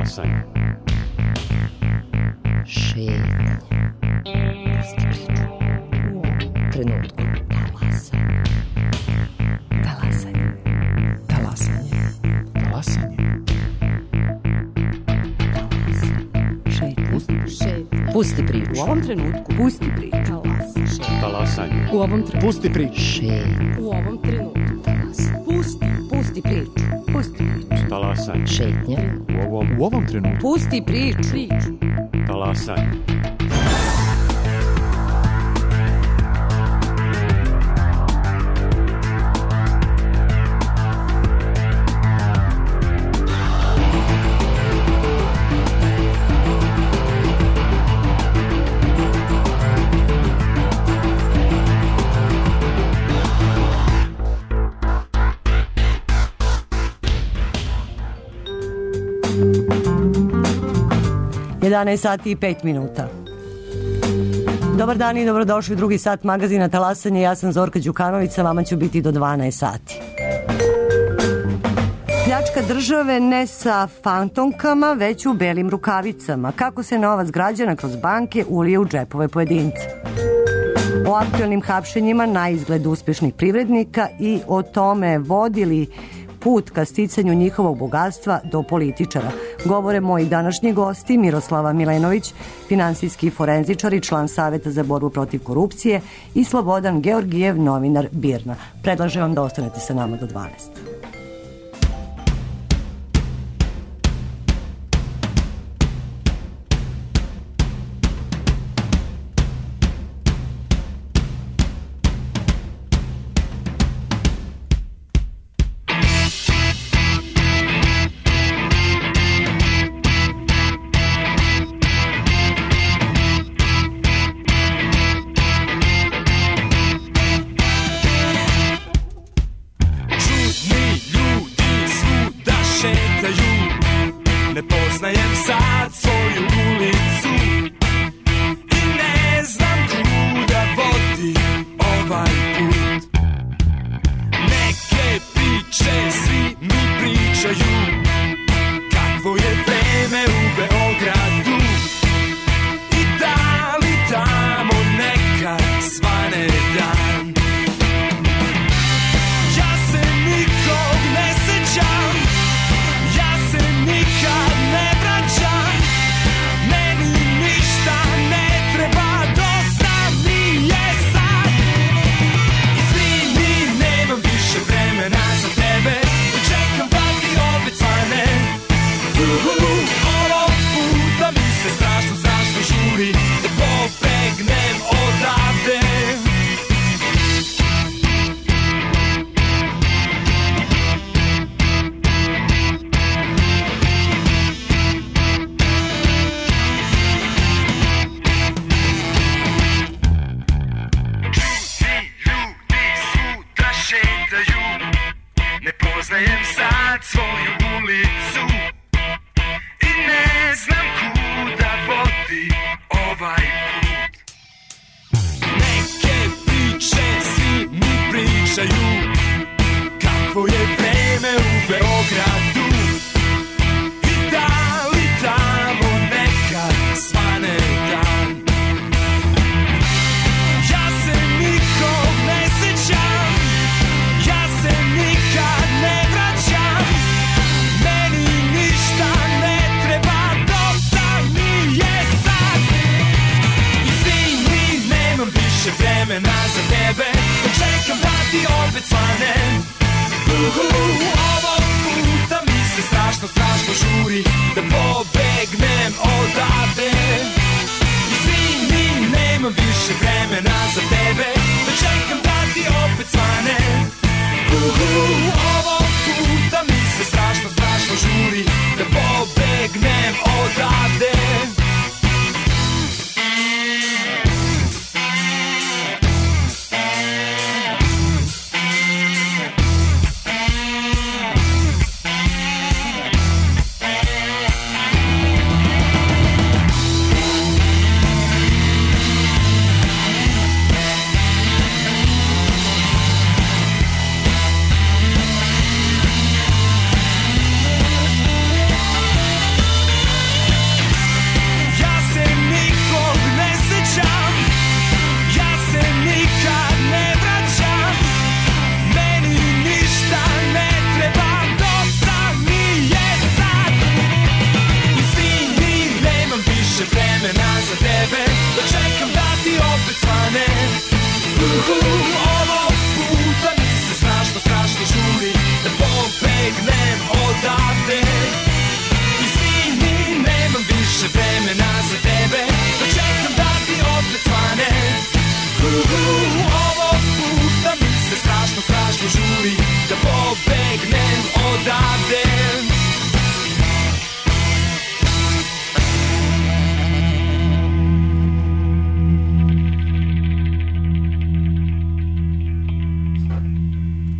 Talasanje. Šetnje. Pusti priču. U ovom trenutku. Talasanje. Talasanje. Talasanje. Pusti priču. U ovom trenutku. Pusti priču. Talasanje. U ovom trenutku. Pusti priču. U ovom trenutku. Pusti priču. Pusti priču. Talasanje. Šetnje. U ovom trenutku. Pusti priču. Talasanje. Sati i 5 minuta. Dobar dan i dobrodošli u drugi sat magazina Talasanje. Ja sam Zorka Đukanović, sa vama ću biti do 12 sati. Pljačka države ne sa fantomkama, već u belim rukavicama. Kako se novac građana kroz banke ulije u džepove pojedinca. O aktualnim hapšenjima na izgled uspješnih privrednika i o tome vodili put ka sticanju njihovog bogatstva do političara. Govore moji današnji gosti: Miroslava Milenović, finansijski forenzičar i član Saveta za borbu protiv korupcije, i Slobodan Georgijev, novinar BIRN-a. Predlažem vam da ostanete sa nama do 12.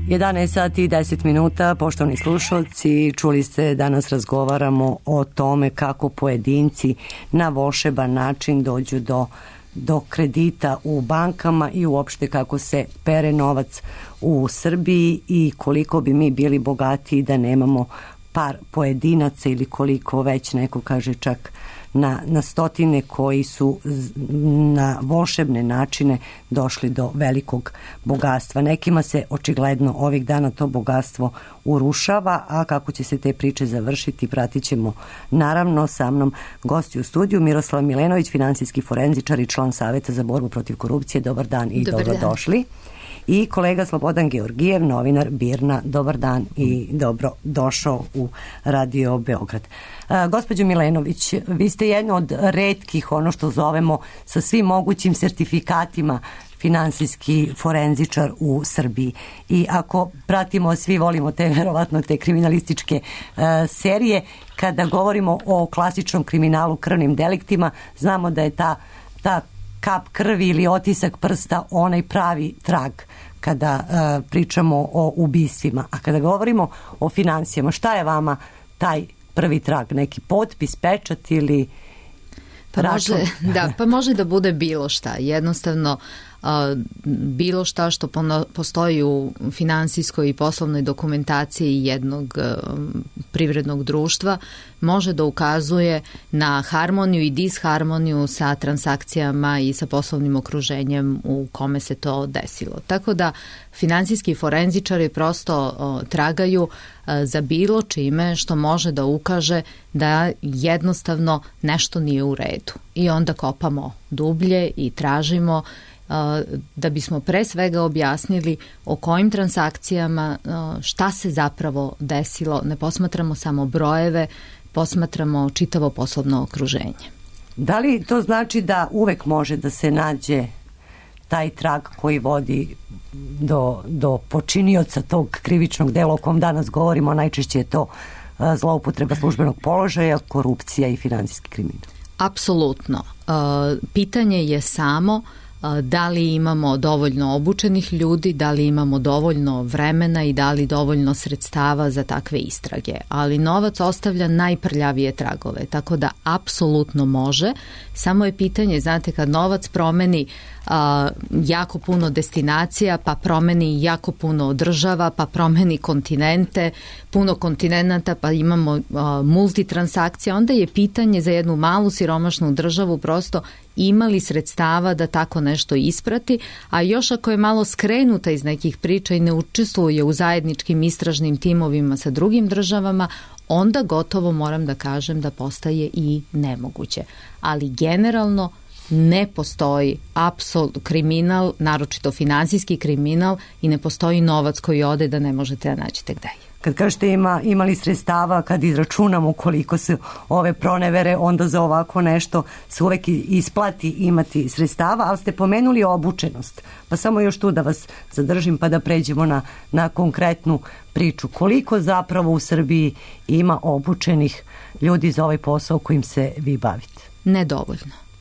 11 sati i 10 minuta, poštovani slušalci, čuli ste, danas razgovaramo o tome kako pojedinci na volšeban način dođu do kredita u bankama i uopšte kako se pere novac u Srbiji i koliko bi mi bili bogatiji da nemamo par pojedinaca ili koliko već neko kaže čak na stotine koji su na volšebne načine došli do velikog bogatstva. Nekima se očigledno ovih dana to bogatstvo urušava, a kako će se te priče završiti pratit ćemo naravno. Sa mnom gosti u studiju Miroslav Milenović, finansijski forenzičar i član Saveta za borbu protiv korupcije. Dobar dan i dobrodošli. I kolega Slobodan Georgijev, novinar BIRN-a. Dobar dan i dobro došao u Radio Beograd. Gospođo Milenović, vi ste jedna od retkih, ono što zovemo sa svim mogućim sertifikatima, finansijski forenzičar u Srbiji. I ako pratimo, svi volimo verovatno te kriminalističke serije, kada govorimo o klasičnom kriminalu, krvnim deliktima, znamo da je ta kap krvi ili otisak prsta onaj pravi trag kada pričamo o ubistvima. A kada govorimo o finansijama, šta je vama taj prvi trag? Neki potpis, pečat ili račun? Pa može da bude bilo šta. Jednostavno bilo šta što postoji u finansijskoj i poslovnoj dokumentaciji jednog privrednog društva može da ukazuje na harmoniju i disharmoniju sa transakcijama i sa poslovnim okruženjem u kome se to desilo. Tako da finansijski forenzičari prosto tragaju za bilo čime što može da ukaže da jednostavno nešto nije u redu. I onda kopamo dublje i tražimo da bismo pre svega objasnili o kojim transakcijama, šta se zapravo desilo. Ne posmatramo samo brojeve, posmatramo čitavo poslovno okruženje. Da li to znači da uvek može da se nađe taj trag koji vodi do počinioca tog krivičnog dela o kom danas govorimo? Najčešće je to zloupotreba službenog položaja, korupcija i finansijski kriminal. Apsolutno. Pitanje je samo da li imamo dovoljno obučenih ljudi, da li imamo dovoljno vremena i da li dovoljno sredstava za takve istrage. Ali novac ostavlja najprljavije tragove, tako da apsolutno može. Samo je pitanje, znate, kad novac promeni jako puno destinacija, pa promeni jako puno država, pa promeni kontinente, puno kontinenta, pa imamo multitransakcija, onda je pitanje za jednu malu siromašnu državu prosto ima li sredstava da tako nešto isprati, a još ako je malo skrenuta iz nekih priča i ne učestvuje u zajedničkim istražnim timovima sa drugim državama, onda gotovo moram da kažem da postaje i nemoguće. Ali generalno ne postoji kriminal, naročito finansijski kriminal, i ne postoji novac koji ode da ne možete da nađete gde je. Kad kažete imali sredstava, kad izračunamo koliko su ove pronevere, onda za ovako nešto se uvek isplati imati sredstava, ali ste pomenuli obučenost. Pa samo još tu da vas zadržim pa da pređemo na konkretnu priču. Koliko zapravo u Srbiji ima obučenih ljudi za ovaj posao kojim se vi bavite?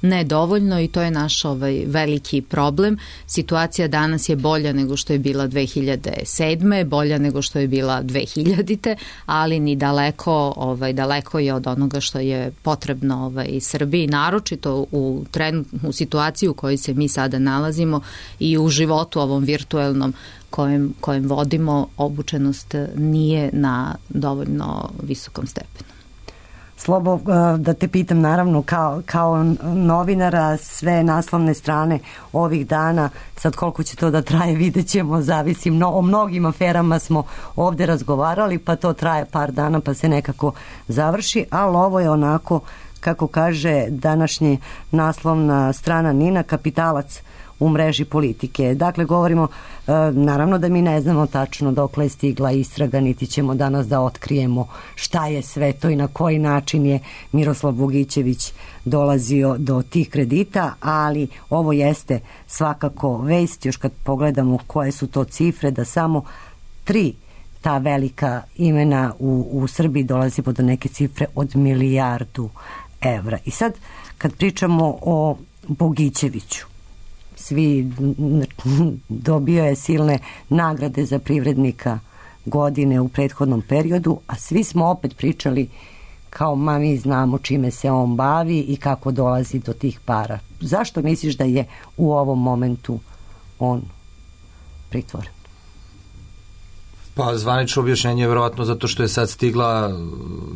Nedovoljno i to je naš veliki problem. Situacija danas je bolja nego što je bila 2007. bolja nego što je bila 2000. ali ni daleko je od onoga što je potrebno Srbiji, naročito u situaciji u kojoj se mi sada nalazimo i u životu ovom virtuelnom kojem vodimo. Obučenost nije na dovoljno visokom stepenu. Slobo, da te pitam, naravno kao novinara, sve naslovne strane ovih dana, sad koliko će to da traje vidjet ćemo, zavisi, o mnogim aferama smo ovde razgovarali, pa to traje par dana pa se nekako završi, ali ovo je onako, kako kaže današnji naslovna strana NIN-a, kapitalac u mreži politike. Dakle, govorimo, naravno da mi ne znamo tačno dokle je stigla istraga, niti ćemo danas da otkrijemo šta je sve to i na koji način je Miroslav Bogićević dolazio do tih kredita, ali ovo jeste svakako vest, još kad pogledamo koje su to cifre, da samo 3 ta velika imena u Srbiji dolazi do neke cifre od 1 milijardu evra. I sad, kad pričamo o Bogićeviću, svi, dobio je silne nagrade za privrednika godine u prethodnom periodu, a svi smo opet pričali kao mi znamo čime se on bavi i kako dolazi do tih para. Zašto misliš da je u ovom momentu on pritvoren? Pa zvanično objašnjenje je verovatno zato što je sad stigla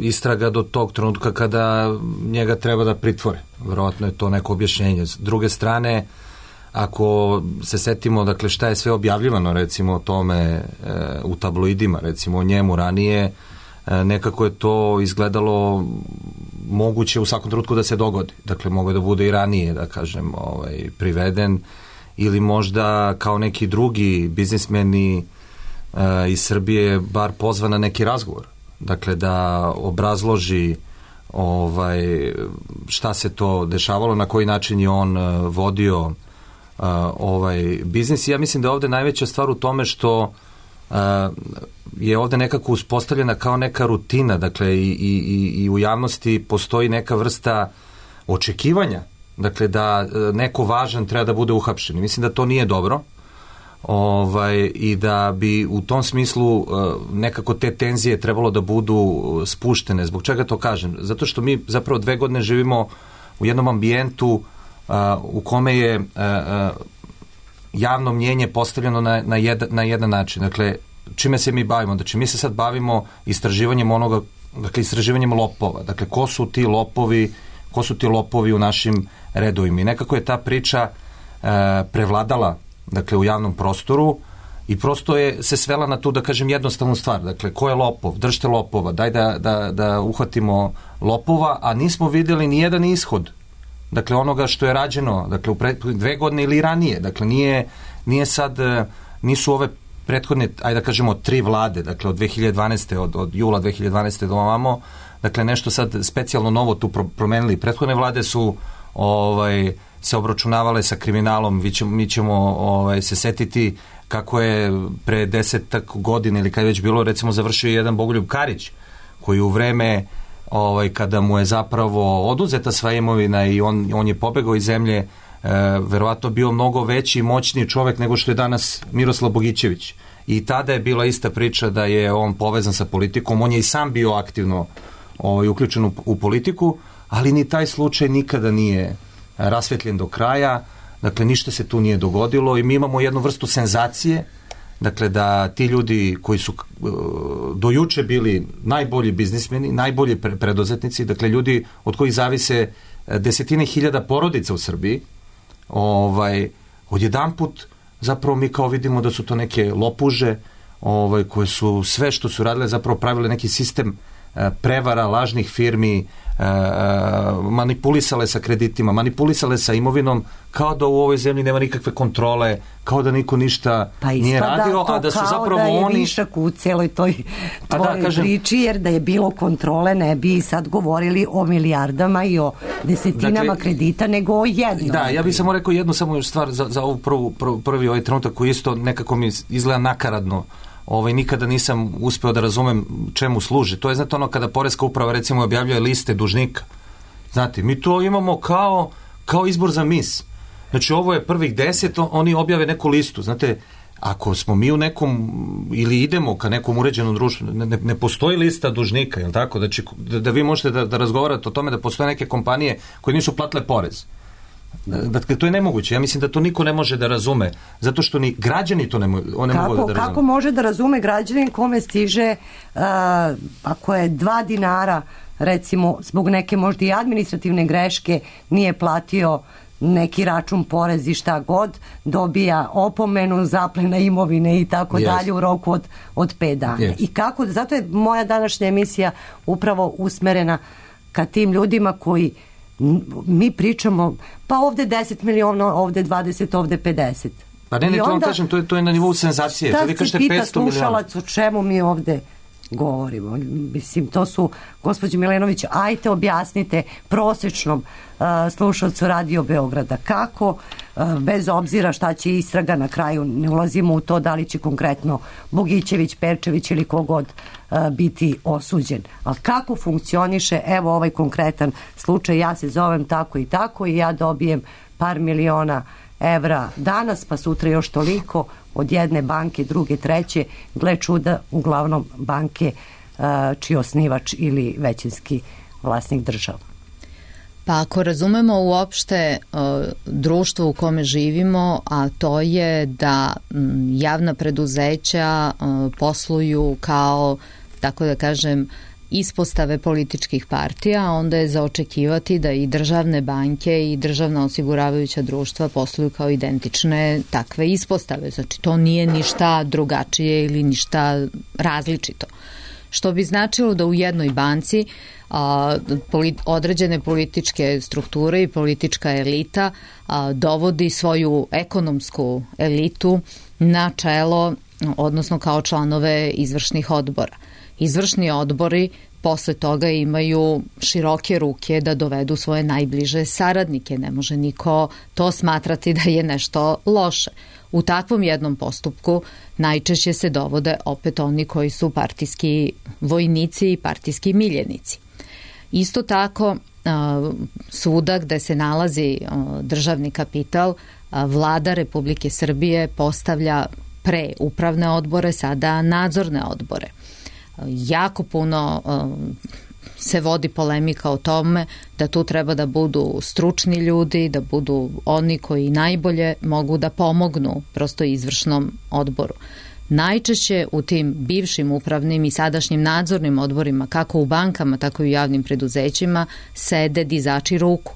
istraga do tog trenutka kada njega treba da pritvore. Verovatno je to neko objašnjenje. S druge strane, ako se setimo, dakle, šta je sve objavljivano, recimo, o tome u tabloidima, recimo, o njemu ranije, nekako je to izgledalo moguće u svakom trenutku da se dogodi. Dakle, mogo da bude i ranije, da kažem, priveden, ili možda kao neki drugi biznismeni iz Srbije bar pozvan na neki razgovor. Dakle, da obrazloži šta se to dešavalo, na koji način je on vodio biznis. Ja mislim da je ovde najveća stvar u tome što je ovde nekako uspostavljena kao neka rutina, dakle i u javnosti postoji neka vrsta očekivanja, dakle da neko važan treba da bude uhapšen. Mislim da to nije dobro i da bi u tom smislu nekako te tenzije trebalo da budu spuštene. Zbog čega to kažem? Zato što mi zapravo 2 godine živimo u jednom ambijentu u kome je javno mnjenje postavljeno na jedan način. Dakle, čime se mi bavimo? Znači, mi se sad bavimo istraživanjem onoga, dakle, istraživanjem lopova. Dakle, ko su ti lopovi u našim redovima? I nekako je ta priča prevladala, dakle, u javnom prostoru i prosto je se svela na tu, da kažem, jednostavnu stvar. Dakle, ko je lopov? Držite lopova. Daj da uhvatimo lopova, a nismo videli ni jedan ishod, dakle, onoga što je rađeno, dakle, u 2 godine ili ranije. Dakle, nije sad, nisu ove prethodne, ajde da kažemo, 3 vlade, dakle, od 2012. od jula 2012. do ovamo, dakle, nešto sad specijalno novo tu promenili. Prethodne vlade su se obračunavale sa kriminalom. Mi ćemo se setiti kako je pre 10 godina ili kad je već bilo, recimo, završio jedan Bogoljub Karić, koji u vreme kada mu je zapravo oduzeta sva imovina i on je pobegao iz zemlje, verovatno bio mnogo veći i moćniji čovek nego što je danas Miroslav Bogićević. I tada je bila ista priča da je on povezan sa politikom. On je i sam bio aktivno uključen u politiku, ali ni taj slučaj nikada nije rasvetljen do kraja. Dakle, ništa se tu nije dogodilo i mi imamo jednu vrstu senzacije, dakle, da ti ljudi koji su do juče bili najbolji biznismeni, najbolji preduzetnici, dakle, ljudi od kojih zavise desetine hiljada porodica u Srbiji, odjedanput zapravo mi kao vidimo da su to neke lopuže koje su sve što su radile zapravo pravile neki sistem prevara, lažnih firmi, manipulisale sa kreditima, manipulisale sa imovinom, kao da u ovoj zemlji nema nikakve kontrole, kao da niko ništa nije radio, a da su zapravo oni... Kao da je višak u celoj toj priči, jer da je bilo kontrole ne bi sad govorili o milijardama i o desetinama kredita, nego o jednom. Da, ja bih samo rekao jednu samo stvar za ovu prvi ovaj trenutak koji isto nekako mi izgleda nakaradno. Nikada nisam uspeo da razumem čemu služi. To je, znate, ono kada Poreska uprava recimo objavljuje liste dužnika. Znate, mi to imamo kao izbor za mis. Znači, ovo je prvih 10, oni objave neku listu. Znate, ako smo mi u nekom, ili idemo ka nekom uređenom društvu, ne postoji lista dužnika, jel tako? Znači, da vi možete da razgovarate o tome da postoje neke kompanije koje nisu platile porez. Dakle, to je nemoguće. Ja mislim da to niko ne može da razume, zato što ni građani to ne mogu da razume. Kako može da razume građanin kome stiže ako je 2 dinara, recimo, zbog neke možda i administrativne greške nije platio neki račun, porez i šta god, dobija opomenu, zaplena imovine i tako dalje u roku od 5 dana. I kako, zato je moja današnja emisija upravo usmerena ka tim ljudima koji mi pričamo, pa ovde 10 miliona, ovde 20, ovde 50. Pa ne, to vam kažem, to je na nivou senzacije. Šta se pita slušalac o čemu mi ovde govorimo? Mislim, to su, gospođo Milenović, ajte objasnite prosečnom slušalcu Radio Beograda kako, bez obzira šta će istraga na kraju, ne ulazimo u to da li će konkretno Bogićević, Perčević ili kogod biti osuđen. Ali kako funkcioniše, evo ovaj konkretan slučaj, ja se zovem tako i tako i ja dobijem par miliona evra danas, pa sutra još toliko od jedne banke, druge, treće, gle čuda, uglavnom banke čiji osnivač ili većinski vlasnik država. Pa ako razumemo uopšte društvo u kome živimo, a to je da javna preduzeća posluju kao, tako da kažem, ispostave političkih partija, onda je za očekivati da i državne banke i državna osiguravajuća društva posluju kao identične takve ispostave. Znači, to nije ništa drugačije ili ništa različito. Što bi značilo da u jednoj banci određene političke strukture i politička elita dovodi svoju ekonomsku elitu na čelo, odnosno kao članove izvršnih odbora. Izvršni odbori posle toga imaju široke ruke da dovedu svoje najbliže saradnike. Ne može niko to smatrati da je nešto loše. U takvom jednom postupku najčešće se dovode opet oni koji su partijski vojnici i partijski miljenici. Isto tako, svuda gde se nalazi državni kapital, vlada Republike Srbije postavlja pre upravne odbore, sada nadzorne odbore. Jako puno se vodi polemika o tome da tu treba da budu stručni ljudi, da budu oni koji najbolje mogu da pomognu prosto izvršnom odboru. Najčešće u tim bivšim upravnim i sadašnjim nadzornim odborima, kako u bankama, tako i u javnim preduzećima, sede dizači ruku.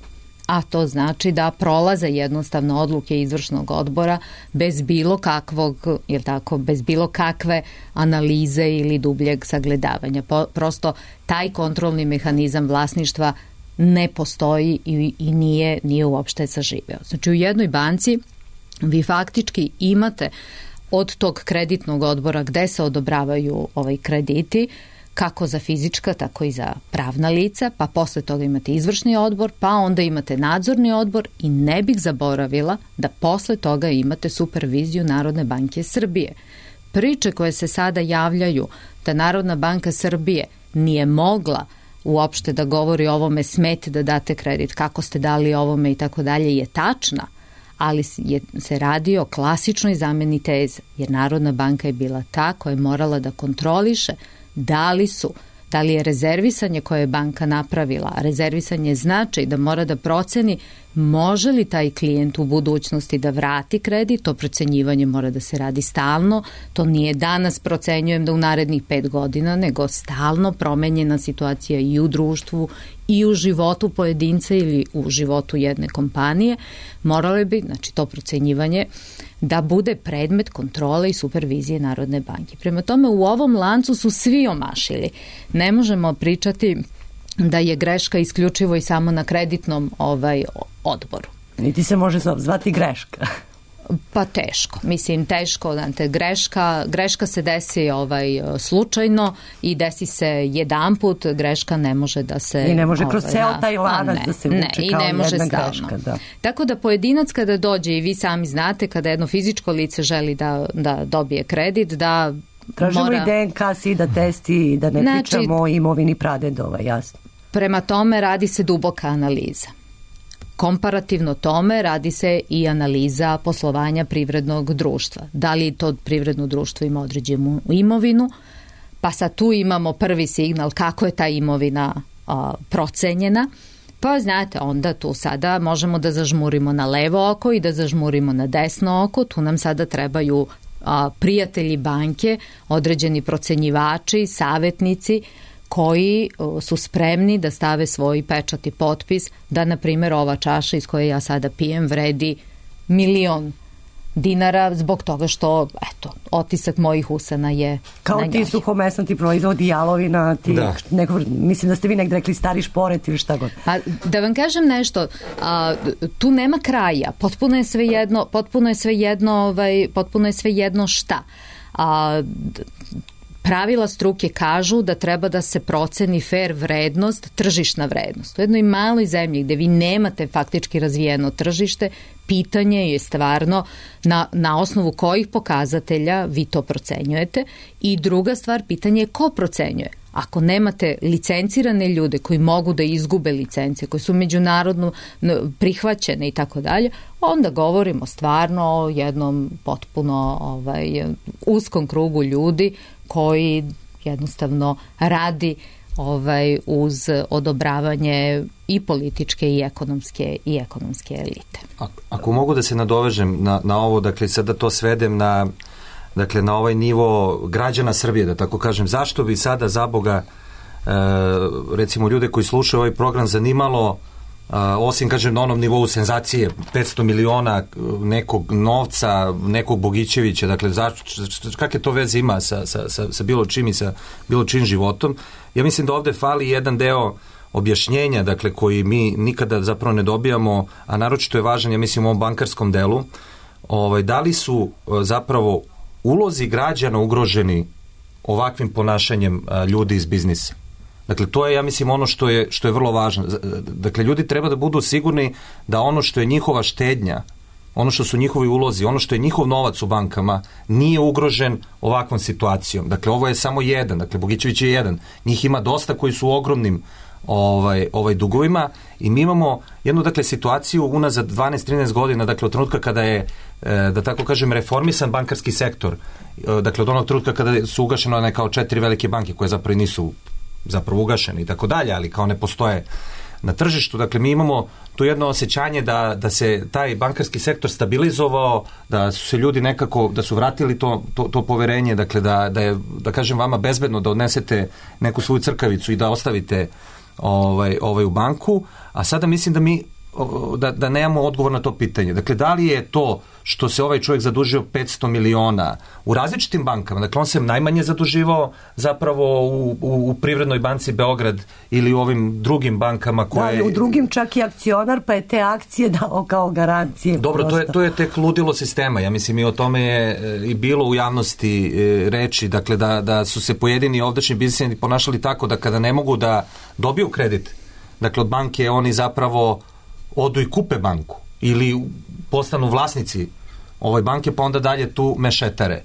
A to znači da prolaze jednostavno odluke izvršnog odbora bez bilo kakvog, jer tako, bez bilo kakve analize ili dubljeg sagledavanja. Prosto taj kontrolni mehanizam vlasništva ne postoji i nije uopšte saživeo. Znači u jednoj banci vi faktički imate od tog kreditnog odbora gde se odobravaju krediti, kako za fizička, tako i za pravna lica, pa posle toga imate izvršni odbor, pa onda imate nadzorni odbor i ne bih zaboravila da posle toga imate superviziju Narodne banke Srbije. Priče koje se sada javljaju da Narodna banka Srbije nije mogla uopšte da govori o ovome, smete da date kredit, kako ste dali ovome i tako dalje, je tačna, ali se radi o klasičnoj zameni teze, jer Narodna banka je bila ta koja je morala da kontroliše da li je rezervisanje koje je banka napravila, a rezervisanje znači da mora da proceni može li taj klijent u budućnosti da vrati kredit, to procenjivanje mora da se radi stalno, to nije danas procenjujem da u narednih 5 godina, nego stalno promenjena situacija i u društvu i u životu pojedinca ili u životu jedne kompanije, moralo bi, znači to procenjivanje, da bude predmet kontrole i supervizije Narodne banke. Prema tome, u ovom lancu su svi omašili. Ne možemo pričati da je greška isključivo i samo na kreditnom odboru. Niti se može zvati greška. Pa teško. Mislim, teško. Greška se desi slučajno i desi se jedanput, greška ne može da se... I ne može kroz ceo taj lanac da se vuče kao jedna greška. Da. Tako da pojedinac kada dođe, i vi sami znate, kada jedno fizičko lice želi da dobije kredit, da tražimo i DNK, SIDA testi, da ne pričamo o imovini pradedova, jasno. Prema tome radi se duboka analiza. Komparativno tome radi se i analiza poslovanja privrednog društva. Da li to privredno društvo ima određenu imovinu, pa sad tu imamo prvi signal kako je ta imovina procenjena, pa znate, onda tu sada možemo da zažmurimo na levo oko i da zažmurimo na desno oko, tu nam sada trebaju prijatelji banke, određeni procenjivači, savjetnici, koji su spremni da stave svoj pečat i potpis da, na primjer, ova čaša iz koje ja sada pijem vredi $1.000.000 zbog toga što, eto, otisak mojih usana je kao na njoj. Ti suhomesnati proizvodi, jalovina, mislim da ste vi nekde rekli stari šporet ili šta god. Pa, da vam kažem nešto, tu nema kraja, potpuno je svejedno šta. Pravila struke kažu da treba da se proceni fair vrednost, tržišna vrednost. U jednoj maloj zemlji gde vi nemate faktički razvijeno tržište, pitanje je stvarno na osnovu kojih pokazatelja vi to procenjujete i druga stvar, pitanje je ko procenjuje. Ako nemate licencirane ljude koji mogu da izgube licence, koji su međunarodno prihvaćene i tako dalje, onda govorimo stvarno o jednom potpuno uskom krugu ljudi koji jednostavno radi uz odobravanje i političke i ekonomske elite. Ako mogu da se nadovežem na ovo, dakle sada to svedem na ovaj nivo građana Srbije, da tako kažem, zašto bi sada za Boga recimo ljude koji slušaju ovaj program zanimalo, osim kažem na onom nivou senzacije 500 miliona nekog novca, nekog Bogićevića, dakle kakve to veze ima sa bilo čim i sa bilo čim životom. Ja mislim da ovde fali jedan deo objašnjenja, dakle koji mi nikada zapravo ne dobijamo, a naročito je važan, ja mislim, u ovom bankarskom delu, da li su zapravo ulozi građana ugroženi ovakvim ponašanjem ljudi iz biznisa. Dakle, to je, ja mislim, ono što je vrlo važno. Dakle, ljudi treba da budu sigurni da ono što je njihova štednja, ono što su njihovi ulozi, ono što je njihov novac u bankama, nije ugrožen ovakvom situacijom. Dakle, ovo je samo jedan. Dakle, Bogićević je jedan. Njih ima dosta koji su u ogromnim dugovima i mi imamo jednu, dakle, situaciju unazad 12-13 godina, dakle, od trenutka kada je, da tako kažem, reformisan bankarski sektor, dakle, od onog trenutka kada su ugašene kao 4 velike banke koje zapravo nisu zapravo ugašene i tako dalje, ali kao ne postoje na tržištu. Dakle, mi imamo tu jedno osjećanje da se taj bankarski sektor stabilizovao, da su se ljudi nekako, da su vratili to poverenje, dakle, da je, da kažem, vama bezbedno da odnesete neku svoju crkavicu i da ostavite u banku, a sada mislim da mi da nemamo odgovor na to pitanje. Dakle, da li je to što se ovaj čovjek zadužio 500 miliona u različitim bankama, dakle on se najmanje zaduživao zapravo u Privrednoj banci Beograd ili u ovim drugim bankama koje... Da, u drugim čak i akcionar, pa je te akcije dao kao garancije. Dobro, to je tek ludilo sistema. Ja mislim i o tome je i bilo u javnosti reči, dakle da su se pojedini ovdašnji biznismeni ponašali tako da kada ne mogu da dobiju kredit, dakle od banke oni zapravo odu i kupe banku ili postanu vlasnici ove banke, pa onda dalje tu mešetare.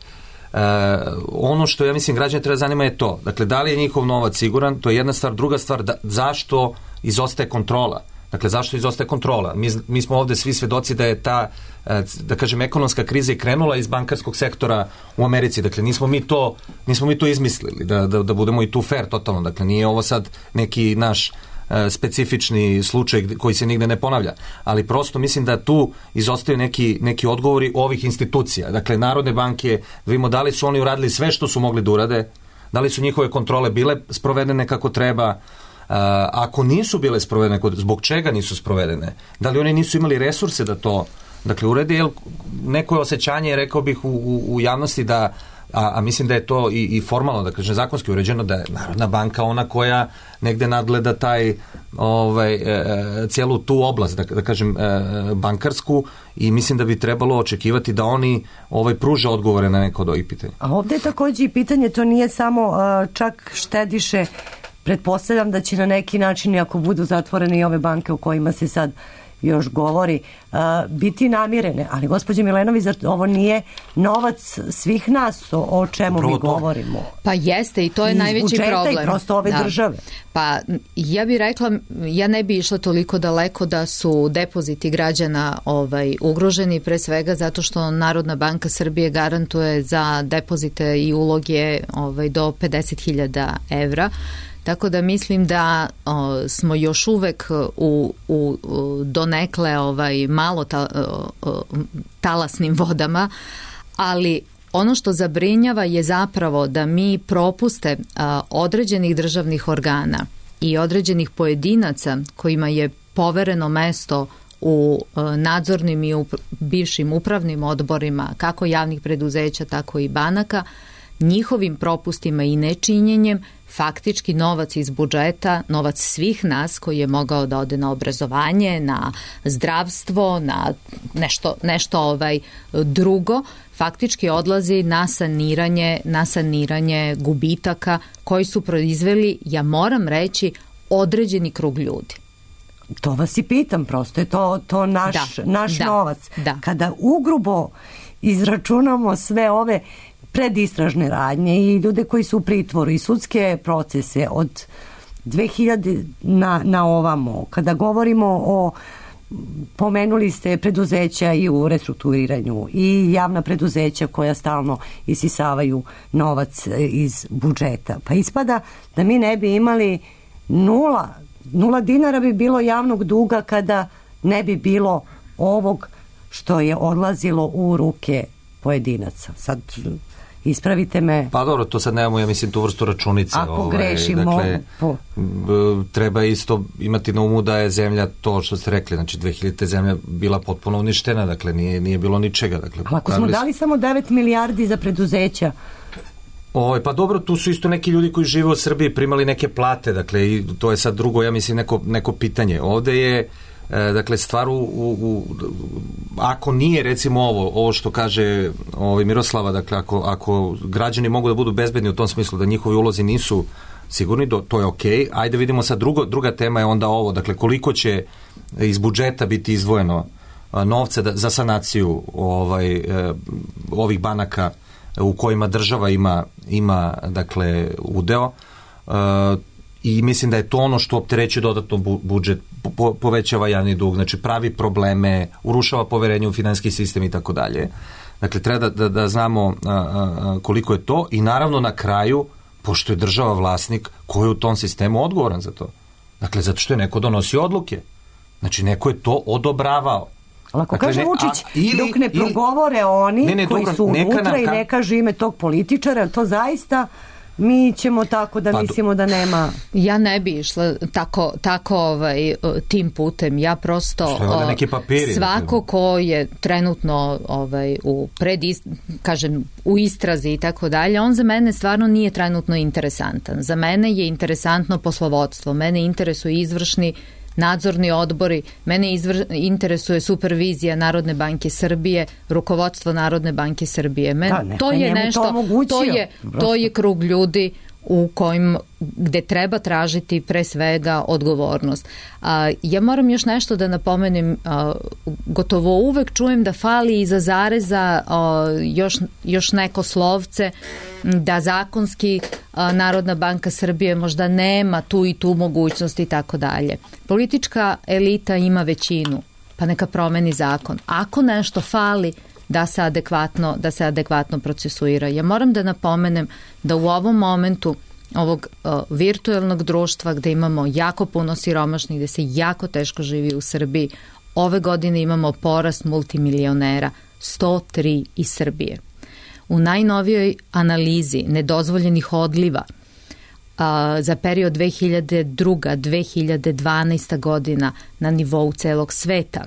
Ono što ja mislim građane treba zanima je to. Dakle, da li je njihov novac siguran, to je jedna stvar. Druga stvar, zašto izostaje kontrola? Dakle, zašto izostaje kontrola? Mi smo ovde svi svedoci da je ta, da kažem, ekonomska kriza i krenula iz bankarskog sektora u Americi. Dakle, nismo mi to izmislili, da budemo i tu fair totalno. Dakle, nije ovo sad neki naš specifični slučaj koji se nigde ne ponavlja, ali prosto mislim da tu izostaju neki odgovori ovih institucija. Dakle, Narodne banke, da vidimo da li su oni uradili sve što su mogli da urade, da li su njihove kontrole bile sprovedene kako treba, ako nisu bile sprovedene, zbog čega nisu sprovedene, da li oni nisu imali resurse da to, dakle, urede, jer neko je osjećanje, rekao bih, u javnosti da a mislim da je to i formalno, da kažem, zakonski uređeno, da je Narodna banka ona koja negde nadgleda taj cijelu tu oblast, da kažem, bankarsku, i mislim da bi trebalo očekivati da oni pruže odgovore na neko od ovih pitanja. A ovde je takođe i pitanje, to nije samo čak štediše, pretpostavljam da će na neki način, ako budu zatvorene i ove banke o kojima se sad još govori, biti namirene. Ali, gospođe Milenović, ovo nije novac svih nas o čemu mi govorimo. Pa jeste, i to je najveći problem. I prosto ove države. Pa ja bih rekla, ja ne bi išla toliko daleko da su depoziti građana ugroženi, pre svega zato što Narodna banka Srbije garantuje za depozite i uloge do 50.000 evra. Tako da mislim da smo još uvek u donekle malo talasnim vodama, ali ono što zabrinjava je zapravo da mi propuste određenih državnih organa i određenih pojedinaca kojima je povereno mesto u nadzornim i bivšim upravnim odborima kako javnih preduzeća, tako i banaka, njihovim propustima i nečinjenjem faktički novac iz budžeta, novac svih nas koji je mogao da ode na obrazovanje, na zdravstvo, na nešto drugo, faktički odlazi na saniranje gubitaka koji su proizveli, ja moram reći, određeni krug ljudi. To vas i pitam, prosto je to naš novac. Da. Kada ugrubo izračunamo sve ove predistražne radnje i ljude koji su u pritvoru i sudske procese od 2000 na ovamo, kada govorimo o, pomenuli ste preduzeća i u restrukturiranju i javna preduzeća koja stalno isisavaju novac iz budžeta, pa ispada da mi ne bi imali nula dinara bi bilo javnog duga kada ne bi bilo ovog što je odlazilo u ruke pojedinaca. Sad ispravite me. Pa dobro, to sad nemamo, ja mislim, tu vrstu računice. Ako grešimo. Dakle, treba isto imati na umu da je zemlja, to što ste rekli, znači 2000. zemlja bila potpuno uništena, dakle nije bilo ničega. Dakle, ako smo dali samo 9 milijardi za preduzeća, pa dobro, tu su isto neki ljudi koji žive u Srbiji, primali neke plate, dakle, i to je sad drugo, ja mislim, neko pitanje. Ovde je, dakle, stvar ako nije, recimo, ovo što kaže Miroslava, dakle, ako građani mogu da budu bezbedni u tom smislu da njihovi ulozi nisu sigurni, to je okej. Ajde vidimo sad, druga tema je onda ovo, dakle, koliko će iz budžeta biti izdvojeno novca za sanaciju ovih banaka u kojima država ima dakle, udeo, i mislim da je to ono što opterećuje dodatno budžet, povećava javni dug, znači pravi probleme, urušava poverenje u finansijski sistem i tako dalje. Dakle, treba da znamo koliko je to i naravno na kraju, pošto je država vlasnik, ko je u tom sistemu odgovoran za to? Dakle, zato što je neko donosio odluke. Znači, neko je to odobravao. Ali ako kaže Vučić, dok ne progovore oni koji su unutra i ne kaže ime tog političara, to zaista mi ćemo tako da mislimo da nema. Ja ne bi išla tako tim putem. Ja prosto svako ko je trenutno u istrazi i tako dalje, on za mene stvarno nije trenutno interesantan. Za mene je interesantno poslovodstvo. Mene interesuje izvršni nadzorni odbori, mene interesuje supervizija Narodne banke Srbije, rukovodstvo Narodne banke Srbije. To je nešto, to je krug ljudi gde treba tražiti pre svega odgovornost. Ja moram još nešto da napomenem, gotovo uvek čujem da fali iza zareza još neko slovce, da zakonski Narodna banka Srbije možda nema tu i tu mogućnost i tako dalje. Politička elita ima većinu, pa neka promeni zakon. Ako nešto fali, da se adekvatno procesuira. Ja moram da napomenem da u ovom momentu ovog virtuelnog društva gde imamo jako puno siromašnih, gde se jako teško živi u Srbiji, ove godine imamo porast multimilionera, 103 iz Srbije. U najnovijoj analizi nedozvoljenih odliva za period 2002-2012 godina na nivou celog sveta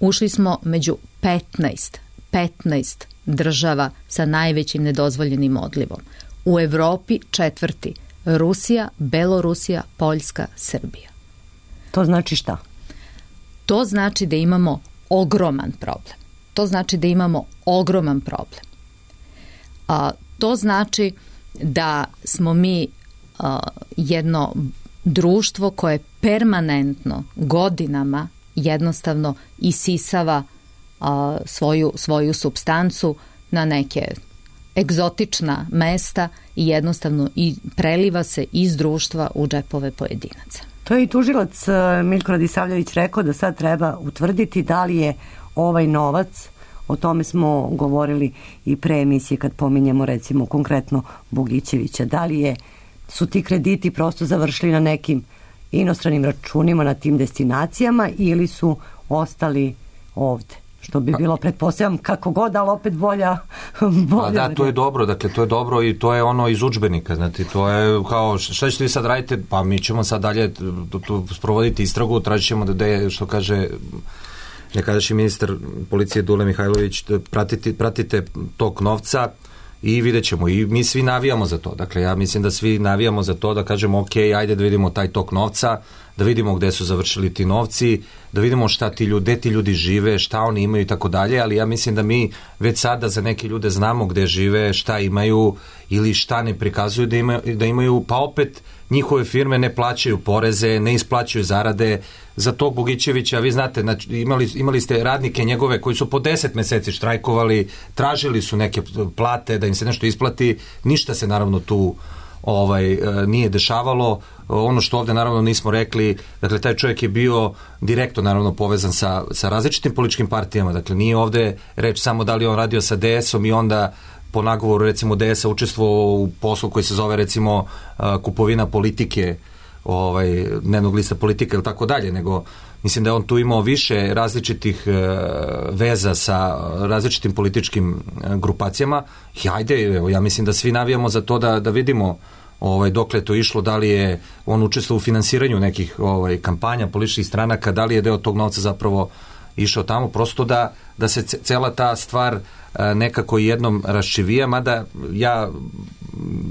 ušli smo među 15 država sa najvećim nedozvoljenim odlivom. U Evropi 4. Rusija, Belorusija, Poljska, Srbija. To znači šta? To znači da imamo ogroman problem. To znači da smo mi jedno društvo koje permanentno godinama jednostavno isisava svoju supstancu na neke egzotična mesta i jednostavno preliva se iz društva u džepove pojedinaca. To je i tužilac Miljko Radisavljević rekao da sad treba utvrditi da li je ovaj novac, o tome smo govorili i pre emisije kad pominjemo recimo konkretno Bogićevića, da li su ti krediti prosto završili na nekim inostranim računima na tim destinacijama ili su ostali ovde. Što bi bilo, pretpostavljam, kako god, ali opet bolja. Da, to je dobro, dakle, to je dobro i to je ono iz udžbenika, znači, to je kao, šta ćete vi sad radite? Pa mi ćemo sad dalje sprovoditi istragu, tražit ćemo da što kaže nekadašnji ministar policije Dule Mihajlović, pratite tok novca i vidjet ćemo. I mi svi navijamo za to. Dakle, ja mislim da svi navijamo za to da kažemo ok, ajde da vidimo taj tok novca, da vidimo gde su završili ti novci, da vidimo šta gde ti ljudi žive, šta oni imaju i tako dalje, ali ja mislim da mi već sada za neke ljude znamo gde žive, šta imaju ili šta ne prikazuju da imaju, pa opet njihove firme ne plaćaju poreze, ne isplaćuju zarade. Za tog Bogićevića, vi znate, znači, imali ste radnike njegove koji su po 10 meseci štrajkovali, tražili su neke plate da im se nešto isplati, ništa se naravno tu nije dešavalo. Ono što ovde naravno nismo rekli, dakle taj čovjek je bio direktno naravno povezan sa različitim političkim partijama, dakle nije ovde reč samo da li on radio sa DS-om i onda po nagovoru recimo DS-a učestvovao u poslu koji se zove recimo kupovina politike, dnevnog lista Politika ili tako dalje, nego mislim da je on tu imao više različitih veza sa različitim političkim grupacijama. I ajde, ja mislim da svi navijamo za to da vidimo dokle je to išlo, da li je on učestvovao u finansiranju nekih kampanja, političkih stranaka, da li je deo tog novca zapravo išao tamo, prosto da se cela ta stvar nekako jednom raščivija, mada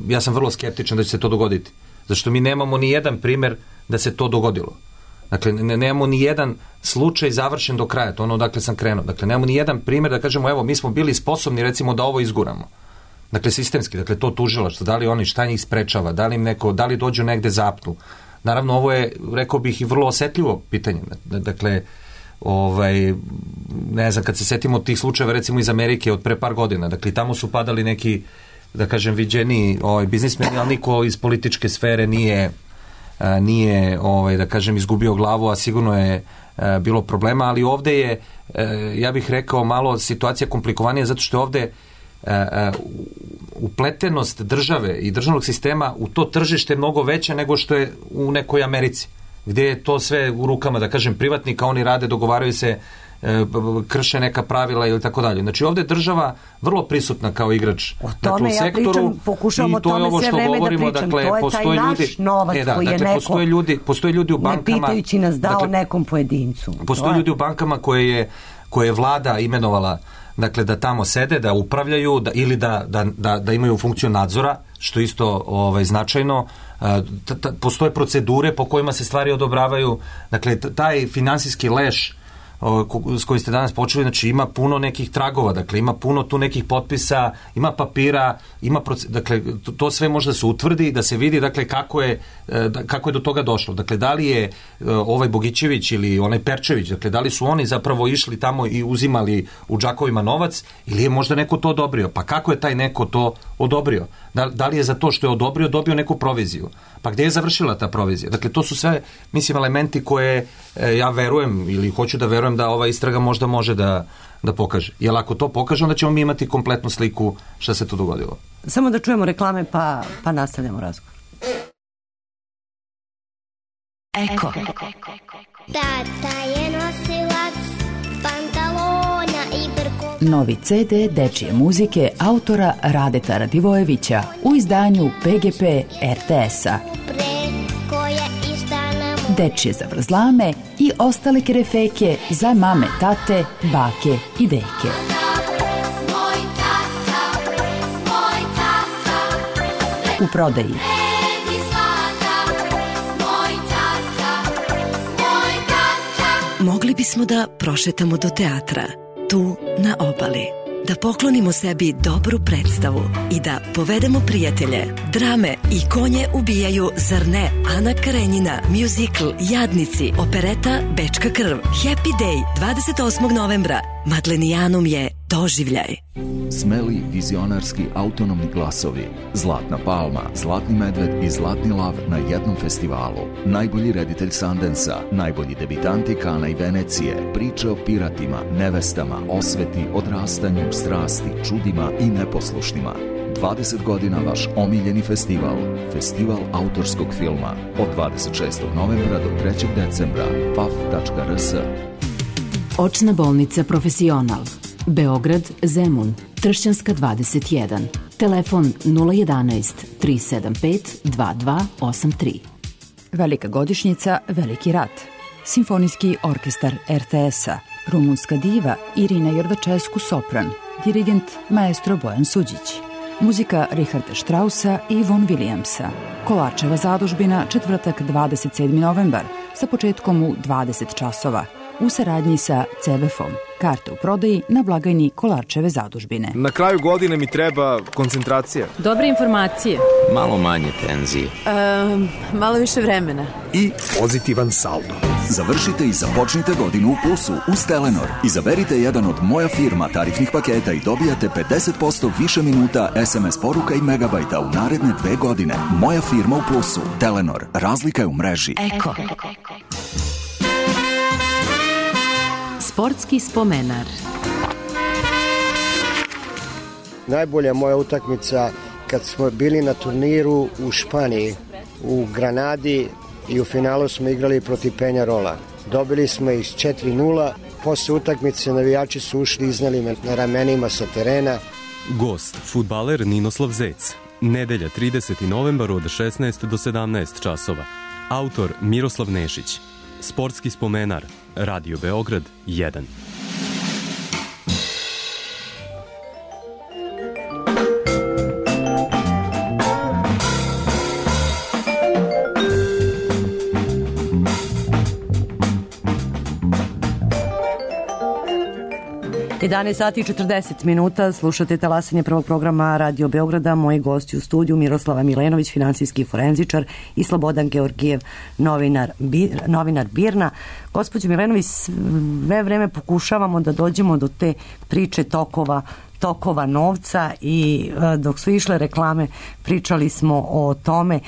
ja sam vrlo skeptičan da će se to dogoditi. Zašto mi nemamo ni jedan primer da se to dogodilo. Dakle, nemamo ni jedan slučaj završen do kraja, to ono odakle sam krenuo. Dakle, nemamo ni jedan primer da kažemo, evo, mi smo bili sposobni recimo da ovo izguramo. Dakle, sistemski, dakle, to tužilaštvo, da li oni, šta njih sprečava, da li dođu negde zapnu. Naravno, ovo je, rekao bih, i vrlo osetljivo pitanje. Dakle, ne znam, kad se setimo tih slučajeva recimo iz Amerike od pre par godina, dakle, tamo su padali neki, da kažem, viđeni biznismeni, ali niko iz političke sfere nije da kažem, izgubio glavu, a sigurno je bilo problema, ali ovde je, ja bih rekao, malo situacija komplikovanija, zato što je ovde upletenost države i državnog sistema u to tržište mnogo veća nego što je u nekoj Americi, gde je to sve u rukama, da kažem, privatnika, oni rade, dogovaraju se, krše neka pravila ili tako dalje. Znači ovde je država vrlo prisutna kao igrač u sektoru i to je ovo što govorimo, dakle, postoje ljudi, postoje ljudi u bankama, ne pitajući nas dao nekom pojedincu. Postoje ljudi u bankama koje je vlada imenovala, dakle, da tamo sede, da upravljaju ili da imaju funkciju nadzora, što isto značajno. Postoje procedure po kojima se stvari odobravaju. Dakle, taj finansijski leš s kojim ste danas počeli, znači ima puno nekih tragova, dakle ima puno tu nekih potpisa, ima papira, dakle to sve može da se utvrdi, da se vidi, dakle kako je do toga došlo. Dakle, da li je ovaj Bogićević ili onaj Perčević, dakle da li su oni zapravo išli tamo i uzimali u džakovima novac ili je možda neko to odobrio? Pa kako je taj neko to odobrio? Da li je za to što je odobrio dobio neku proviziju? Pa gde je završila ta provizija? Dakle, to su sve, mislim, elementi koje ja verujem ili hoću da verujem da ova istraga možda može da pokaže. Jer ako to pokaže, onda ćemo mi imati kompletnu sliku šta se to dogodilo. Samo da čujemo reklame pa nastavljamo razgovor. Eko. Tata je nosilac pantalona i brko. Novi CD dečije muzike autora Radeta Radivojevića u izdanju PGP RTS-a. Dečije zavrzlame i ostale kerefeke za mame, tate, bake i deke. U prodaji. Mogli bismo da prošetamo do teatra, tu na obali, da poklonimo sebi dobru predstavu i da povedemo prijatelje. Drame i konje ubijaju, zar ne? Ana Karenjina, muzikl Jadnici, opereta Bečka krv, Happy Day 28. novembra. Madlenijanum je doživljaj. Smeli vizionarski autonomni glasovi, Zlatna palma, Zlatni medved i Zlatni lav na jednom festivalu. Najbolji reditelj Sundansa, najbolji debitanti Kana i Venecije, priče o piratima, nevestama, osveti, odrastanju, strasti, čudima i neposlušnima. 20 godina vaš omiljeni festival, Festival autorskog filma, od 26. novembra do 3. decembra, paf.rs. Očna bolnica Profesional, Beograd, Zemun, Tršćanska 21, telefon 011 375 2283. Velika godišnjica, veliki rat. Simfonijski orkestar RTS-a, rumunska diva Irina Jordačesku sopran, dirigent maestro Bojan Suđić. Muzika Richarda Straussa i Von Williamsa. Kolarčeva zadužbina, četvrtak 27. novembar, sa početkom u 20 časova u saradnji sa CBF-om. Karte u prodaji na blagajni Kolarčeve zadužbine. Na kraju godine mi treba koncentracija. Dobre informacije. Malo manje tenzije. Malo više vremena. I pozitivan saldo. Završite i započnite godinu u plusu uz Telenor. Izaberite jedan od Moja firma tarifnih paketa i dobijate 50% više minuta SMS poruka i megabajta u naredne 2 godine. Moja firma u plusu. Telenor. Razlika je u mreži. Eko. Sportski spomenar. Najbolja moja utakmica kad smo bili na turniru u Španiji, u Granadi, i u finalu smo igrali protiv Peñarola. Dobili smo ih 4-0. Posle utakmice navijači su ušli, iznali me na ramenima sa terena. Gost, fudbaler Ninoslav Zec. Nedelja 30. novembar od 16 do 17 časova. Autor Miroslav Nešić. Sportski spomenar. Radio Beograd 1. Sati i 40 minuta, slušate talasanje prvog programa Radio Beograda. Moji gosti u studiju Miroslava Milenović, finansijski forenzičar, i Slobodan Georgijev, novinar BIRN-a. Gospođo Milenović, sve vreme pokušavamo da dođemo do te priče tokova novca i dok su išle reklame pričali smo o tome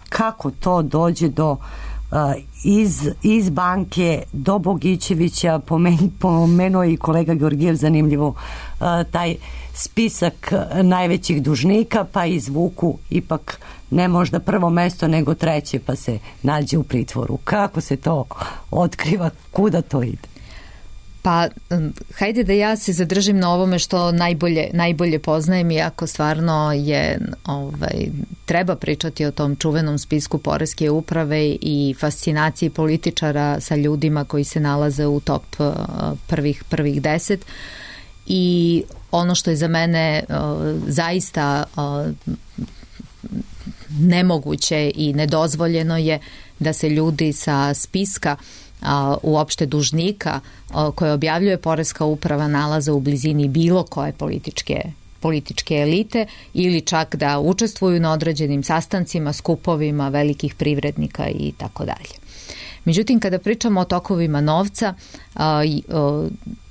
kako to dođe do iz banke do Bogićevića. Pomenuo i kolega Georgijev zanimljivo taj spisak najvećih dužnika, pa izvuku ipak ne možda prvo mesto nego treće, pa se nađe u pritvoru. Kako se to otkriva, kuda to ide? Pa, hajde da ja se zadržim na ovome što najbolje poznajem, iako stvarno je, treba pričati o tom čuvenom spisku poreske uprave i fascinaciji političara sa ljudima koji se nalaze u top prvih 10. I ono što je za mene zaista nemoguće i nedozvoljeno je da se ljudi sa spiska uopšte dužnika koje objavljuje poreska uprava nalaze u blizini bilo koje političke elite ili čak da učestvuju na određenim sastancima, skupovima velikih privrednika i tako dalje. Međutim, kada pričamo o tokovima novca,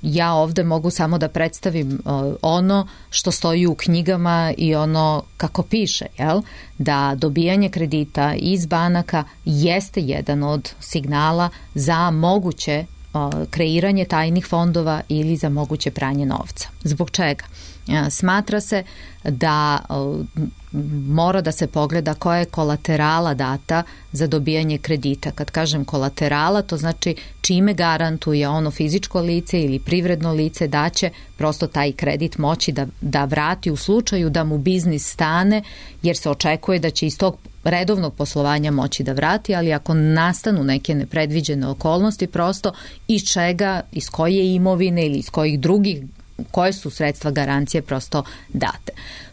ja ovde mogu samo da predstavim ono što stoji u knjigama i ono kako piše, da dobijanje kredita iz banaka jeste jedan od signala za moguće kreiranje tajnih fondova ili za moguće pranje novca. Zbog čega? Smatra se da mora da se pogleda koja je kolaterala data za dobijanje kredita. Kad kažem kolaterala, to znači čime garantuje ono fizičko lice ili privredno lice da će prosto taj kredit moći da vrati u slučaju da mu biznis stane, jer se očekuje da će iz tog redovnog poslovanja moći da vrati, ali ako nastanu neke nepredviđene okolnosti, prosto iz čega, iz koje imovine ili iz kojih drugih, koje su sredstva garancije prosto date.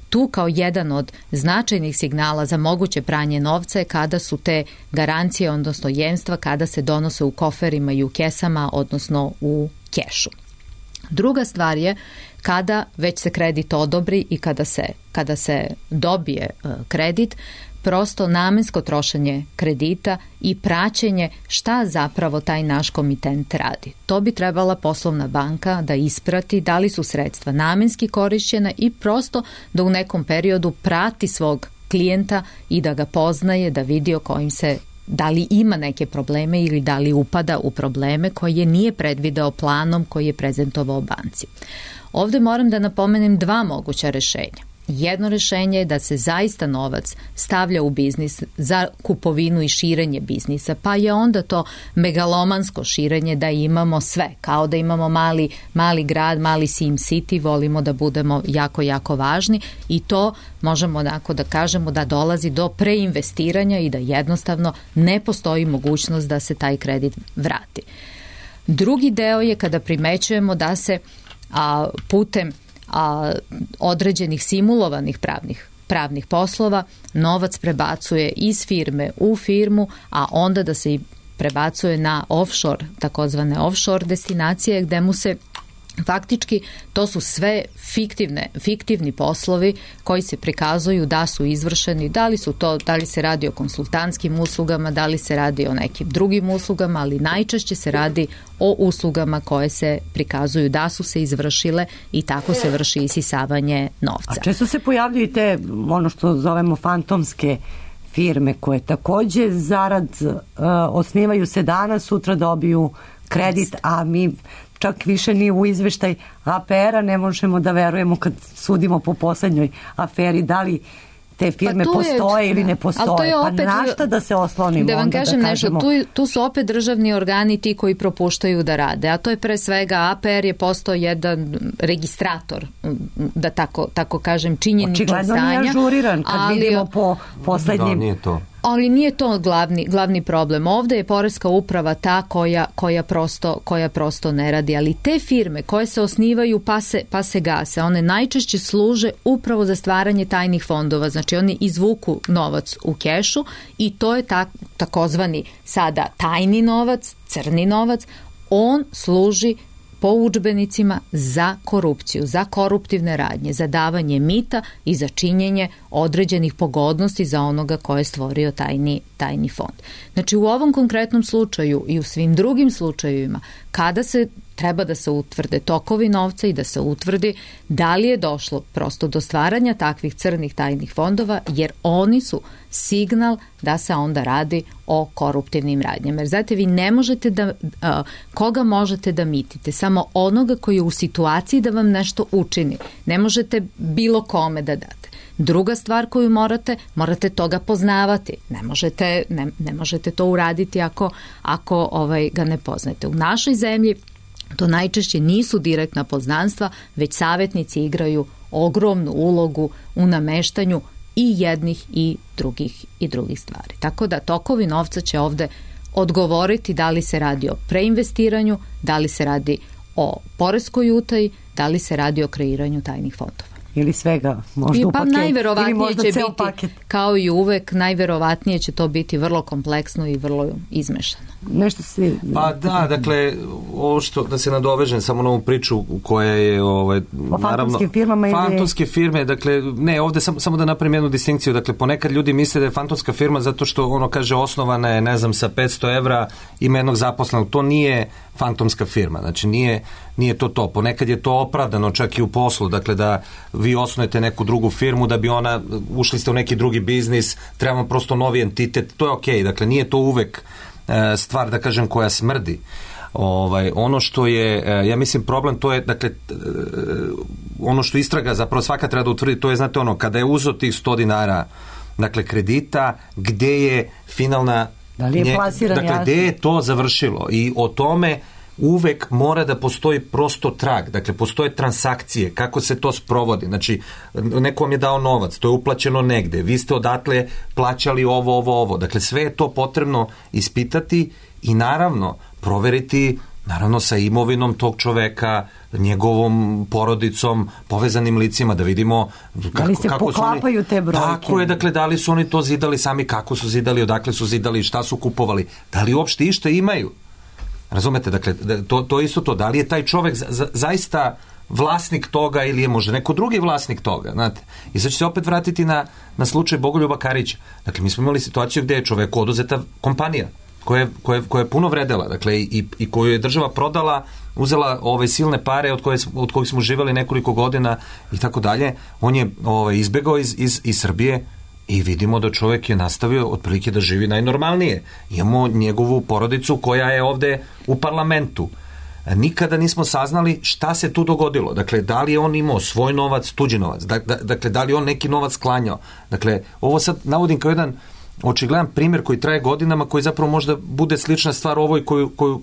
Tu kao jedan od značajnih signala za moguće pranje novca je kada su te garancije, odnosno jemstva, kada se donose u koferima i u kesama, odnosno u kešu. Druga stvar je kada već se kredit odobri i kada se dobije kredit, prosto namensko trošenje kredita i praćenje šta zapravo taj naš komitent radi. To bi trebala poslovna banka da isprati da li su sredstva namenski korišćena i prosto da u nekom periodu prati svog klijenta i da ga poznaje, da vidi o kojim se, da li ima neke probleme ili da li upada u probleme koje nije predvideo planom koji je prezentovao banci. Ovde moram da napomenem dva moguća rešenja. Jedno rešenje je da se zaista novac stavlja u biznis za kupovinu i širenje biznisa, pa je onda to megalomansko širenje da imamo sve, kao da imamo mali grad, mali Sim City, volimo da budemo jako, jako važni i to možemo onako da kažemo da dolazi do preinvestiranja i da jednostavno ne postoji mogućnost da se taj kredit vrati. Drugi deo je kada primećujemo da se putem određenih simulovanih pravnih poslova novac prebacuje iz firme u firmu, a onda da se prebacuje na offshore, takozvane offshore destinacije, gde mu se faktički to su sve fiktivni poslovi koji se prikazuju da su izvršeni, da li se radi o konsultantskim uslugama, da li se radi o nekim drugim uslugama, ali najčešće se radi o uslugama koje se prikazuju da su se izvršile i tako se vrši isisavanje novca. A često se pojavljuju te, ono što zovemo fantomske firme koje takođe zarad osnivaju se danas, sutra dobiju kredit, a mi čak više ni u izveštaj APR-a ne možemo da verujemo kad sudimo po poslednjoj aferi, da li te firme postoje ili ne postoje, pa na šta da se oslonimo? Da vam onda, kažem da nešto, tu su opet državni organi ti koji propuštaju da rade, a to je pre svega APR je postao jedan registrator, da tako kažem, činjeničnog stanja. Očigledno nije ažuriran kad vidimo po poslednjim... Da, nije to. Ali nije to glavni problem. Ovde je poreska uprava ta koja prosto ne radi, ali te firme koje se osnivaju pa se gase, one najčešće služe upravo za stvaranje tajnih fondova. Znači oni izvuku novac u kešu i to je takozvani sada tajni novac, crni novac, on služi po udžbenicima za korupciju, za koruptivne radnje, za davanje mita i za činjenje određenih pogodnosti za onoga ko je stvorio tajni fond. Znači u ovom konkretnom slučaju i u svim drugim slučajevima kada se treba da se utvrde tokovi novca i da se utvrdi da li je došlo prosto do stvaranja takvih crnih tajnih fondova, jer oni su signal da se onda radi o koruptivnim radnjama. Jer znate, vi ne možete koga možete da mitite? Samo onoga koji je u situaciji da vam nešto učini. Ne možete bilo kome da date. Druga stvar koju morate toga poznavati. Ne možete to uraditi ako ga ne poznate. U našoj zemlji to najčešće nisu direktna poznanstva, već savjetnici igraju ogromnu ulogu u nameštanju i jednih i drugih stvari. Tako da tokovi novca će ovde odgovoriti da li se radi o preinvestiranju, da li se radi o poreskoj utaji, da li se radi o kreiranju tajnih fondova. Ili svega, možda u paket, ili možda ceo paket. Kao i uvek, najverovatnije će to biti vrlo kompleksno i vrlo izmešano. Nešto se... Pa da, dakle, ovo što, da se nadovežem samo na ovu priču koja je, o fantomskim firmama ili... Fantomske firme, dakle, ne, ovde samo da napravim jednu distinkciju, dakle, ponekad ljudi misle da je fantomska firma zato što ono kaže osnovana je, ne znam, sa 500 evra, ima jednog zaposlenog, to nije fantomska firma, znači nije to. Ponekad je to opravdano čak i u poslu, dakle da vi osnujete neku drugu firmu da bi ona, ušli ste u neki drugi biznis, trebamo prosto novi entitet, to je okej, dakle nije to uvek stvar, da kažem, koja smrdi. Ono što je, ja mislim, problem, to je, dakle, ono što istraga zapravo svaka treba da utvrdi, to je, znate, ono, kada je uzo tih 100 dinara, dakle, kredita, gde je finalna... Da li je plasiran, dakle, gde je to završilo? I o tome uvek mora da postoji prosto trag, dakle, postoje transakcije, kako se to sprovodi, znači, neko vam je dao novac, to je uplaćeno negde, vi ste odatle plaćali ovo, dakle, sve je to potrebno ispitati i naravno proveriti, naravno sa imovinom tog čoveka, njegovom porodicom, povezanim licima, da vidimo da li se poklapaju te brojke. Tako je, dakle, da li su oni to zidali sami, kako su zidali, odakle su zidali, šta su kupovali, da li uopšte išta imaju. Razumete, dakle, to je isto to, da li je taj čovek zaista vlasnik toga ili je možda neko drugi vlasnik toga, znate. I sad ću se opet vratiti na slučaj Bogoljuba Karića. Dakle, mi smo imali situaciju gde je čoveku oduzeta kompanija koja je puno vredela, dakle, i koju je država prodala, uzela ove silne pare od kojih smo živjeli nekoliko godina i tako dalje. On je izbegao iz Srbije i vidimo da čovjek je nastavio otprilike da živi najnormalnije. Imamo njegovu porodicu koja je ovde u parlamentu. Nikada nismo saznali šta se tu dogodilo. Dakle, da li je on imao svoj novac, tuđi novac. Dakle, da li on neki novac sklanjao. Dakle, ovo sad navodim kao jedan očigledan primjer koji traje godinama, koji zapravo možda bude slična stvar ovoj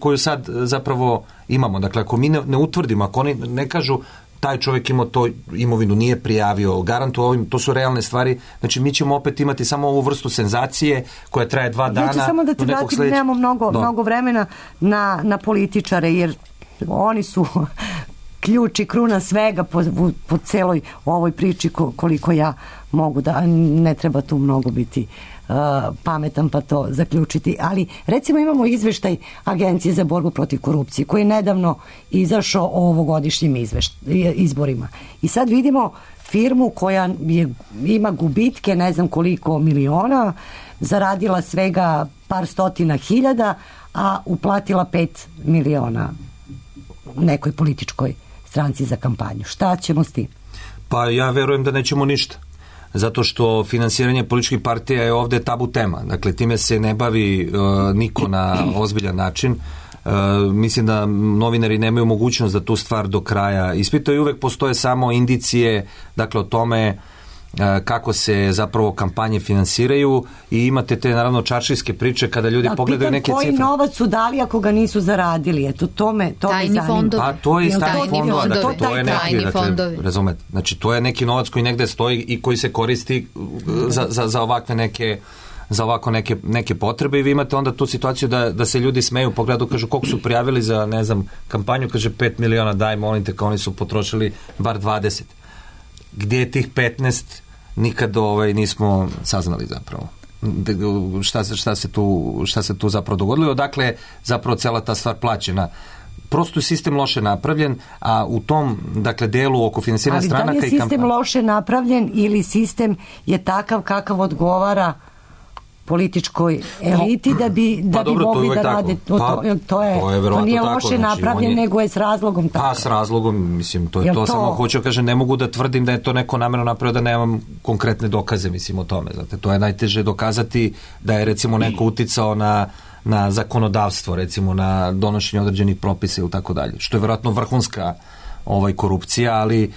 koju sad zapravo imamo. Dakle, ako mi ne utvrdimo, ako oni ne kažu taj čovjek imao to imovinu, nije prijavio, garantuo ovim, to su realne stvari, znači mi ćemo opet imati samo ovu vrstu senzacije koja traje 2 dana. Ja ću samo da ti vratim, nemamo mnogo vremena na političare, jer oni su ključ i kruna svega po celoj ovoj priči koliko ja mogu da, ne treba tu mnogo biti pametan pa to zaključiti, ali recimo imamo izveštaj Agencije za borbu protiv korupcije koji je nedavno izašao o ovogodišnjim izborima i sad vidimo firmu koja ima gubitke ne znam koliko miliona, zaradila svega par stotina hiljada, a uplatila 5 miliona nekoj političkoj stranci za kampanju. Šta ćemo s tim? Pa ja verujem da nećemo ništa. Zato što finansiranje političkih partija je ovde tabu tema. Dakle, time se ne bavi niko na ozbiljan način. Mislim da novinari nemaju mogućnost da tu stvar do kraja ispitaju. Uvek postoje samo indicije, dakle, o tome kako se zapravo kampanje finansiraju i imate te naravno čaršijske priče kada ljudi pogledaju neke cifre. Koji novac su dali ako ga nisu zaradili? Eto, to me zanima. Pa to je iz tajnih fondova, dakle, to je neki, dakle, razumete, znači to je neki novac koji negde stoji i koji se koristi za ovakve neke potrebe i vi imate onda tu situaciju da se ljudi smeju, pogledu, kažu koliko su prijavili za, ne znam, kampanju, kaže 5 miliona, daj molim te, kao oni su potrošili bar 20. Gdje je tih 15? Nikad nismo saznali zapravo šta se tu zapravo dogodilo, odakle zapravo cela ta stvar plaćena. Prosto je sistem loše napravljen, a u tom, dakle, delu oko finansiranja stranaka i kampanja. Ali da li je sistem loše napravljen ili sistem je takav kakav odgovara političkoj eliti da bi mogli da rade to nije loše napravljen, nego je s razlogom tako. Pa s razlogom, mislim, to je to, samo hoću kažem, ne mogu da tvrdim da je to neko namerno napravio, da nemam konkretne dokaze, mislim, o tome, znate, to je najteže dokazati da je recimo neko uticao na zakonodavstvo, recimo na donošenje određenih propisa ili tako dalje, što je vjerojatno vrhunska korupcija, ali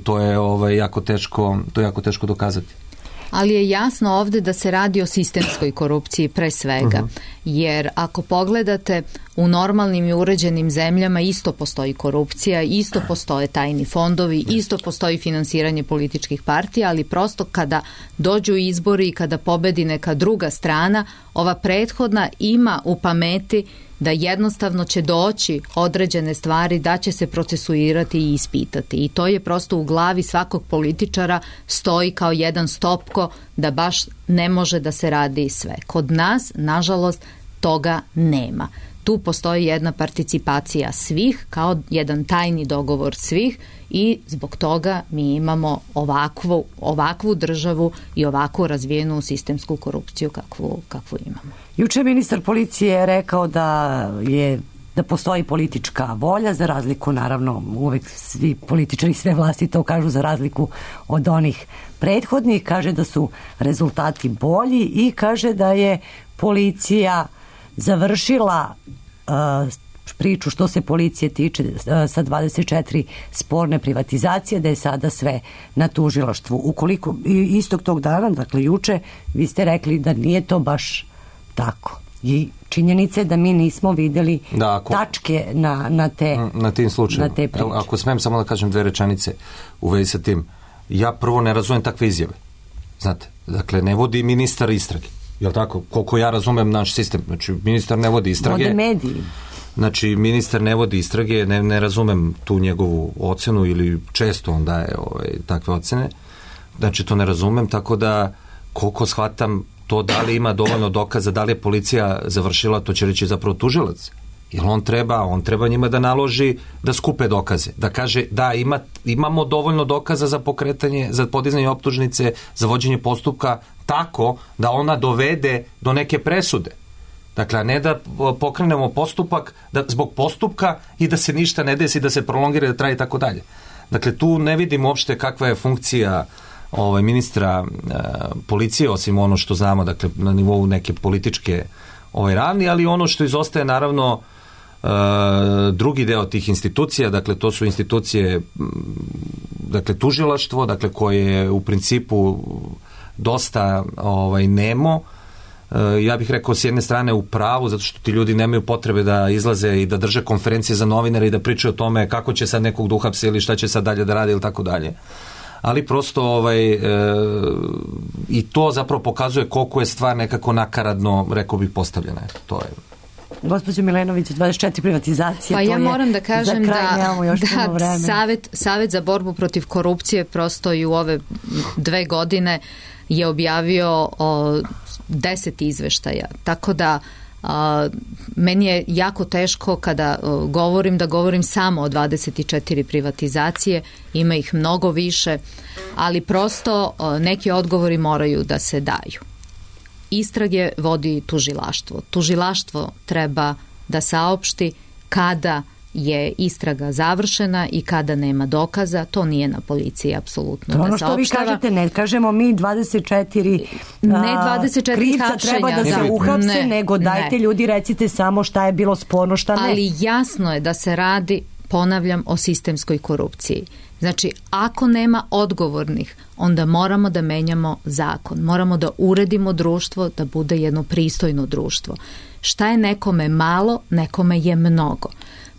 to je jako teško dokazati. Ali je jasno ovde da se radi o sistemskoj korupciji pre svega, jer ako pogledate u normalnim i uređenim zemljama isto postoji korupcija, isto postoje tajni fondovi, isto postoji finansiranje političkih partija, ali prosto kada dođu izbori i kada pobedi neka druga strana, ova prethodna ima u pameti da jednostavno će doći određene stvari, da će se procesuirati i ispitati. I to je prosto u glavi svakog političara stoji kao jedan stopko da baš ne može da se radi sve. Kod nas, nažalost, toga nema. Tu postoji jedna participacija svih, kao jedan tajni dogovor svih i zbog toga mi imamo ovakvu državu i ovakvu razvijenu sistemsku korupciju kakvu imamo. Juče ministar policije je rekao da postoji politička volja, za razliku, naravno, uvek svi političari, sve vlasti to kažu, za razliku od onih prethodnih, kaže da su rezultati bolji i kaže da je policija završila priču što se policije tiče sa 24 sporne privatizacije, da je sada sve na tužilaštvu. Ukoliko istog tog dana, dakle juče, vi ste rekli da nije to baš tako. I činjenica je da mi nismo videli tačke na tim slučajima. Ako smem samo da kažem 2 rečenice u vezi sa tim. Ja prvo ne razumem takve izjave. Znate, dakle, ne vodi ministar istrage. Jel' tako? Koliko ja razumem naš sistem. Znači, ministar ne vodi istrage. Vode mediji. Znači, ministar ne vodi istrage, ne razumem tu njegovu ocenu ili često on daje takve ocene. Znači, to ne razumem, tako da koliko shvatam to da li ima dovoljno dokaza, da li je policija završila, to će reći zapravo tužilac. Jer on treba njima da naloži da skupe dokaze. Da kaže da imamo dovoljno dokaza za pokretanje, za podizanje optužnice, za vođenje postupka tako da ona dovede do neke presude. Dakle, a ne da pokrenemo postupak zbog postupka i da se ništa ne desi, da se prolongira, da traje i tako dalje. Dakle, tu ne vidim uopšte kakva je funkcija ministra policije, osim ono što znamo, dakle, na nivou neke političke ravni, ali ono što izostaje, naravno, drugi deo tih institucija, dakle, to su institucije, dakle, tužilaštvo, dakle, koje je u principu dosta nemo. Ja bih rekao s jedne strane u pravu, zato što ti ljudi nemaju potrebe da izlaze i da drže konferencije za novinare i da pričaju o tome kako će sad nekog da uhapse ili šta će sad dalje da radi ili tako dalje. Ali prosto i to zapravo pokazuje koliko je stvar nekako nakaradno, rekao bih, postavljena. To je. Gospođo Milenović, 24 privatizacije. Pa ja moram da kažem da Savet za borbu protiv korupcije prosto i u ove 2 godine je objavio 10 izveštaja. Tako da meni je jako teško kada govorim samo o 24 privatizacije, ima ih mnogo više, ali prosto neki odgovori moraju da se daju. Istrage vodi tužilaštvo. Tužilaštvo treba da saopšti kada je istraga završena i kada nema dokaza. To nije na policiji apsolutno da saopštava. To ono što vi kažete, ne kažemo mi 24 krivca treba da se uhapse, nego dajte ljudi, recite samo šta je bilo sporno, šta ne. Ali jasno je da se radi, ponavljam, o sistemskoj korupciji. Znači, ako nema odgovornih, onda moramo da menjamo zakon. Moramo da uredimo društvo, da bude jedno pristojno društvo. Šta je nekome malo, nekome je mnogo.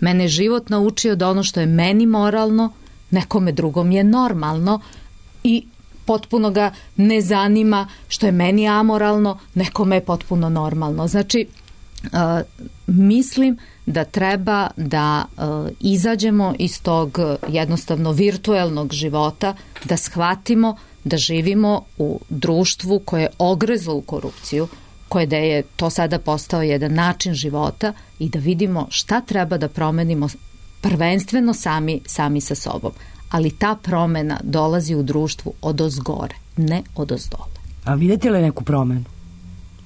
Mene život naučio da ono što je meni moralno, nekome drugom je normalno i potpuno ga ne zanima što je meni amoralno, nekome je potpuno normalno. Znači, mislim da treba da izađemo iz tog jednostavno virtuelnog života, da shvatimo da živimo u društvu koje je ogrezlo u korupciju, koje da je to sada postao jedan način života i da vidimo šta treba da promenimo prvenstveno sami sa sobom. Ali ta promena dolazi u društvu odozgore, ne odozdole. A vidite li neku promenu?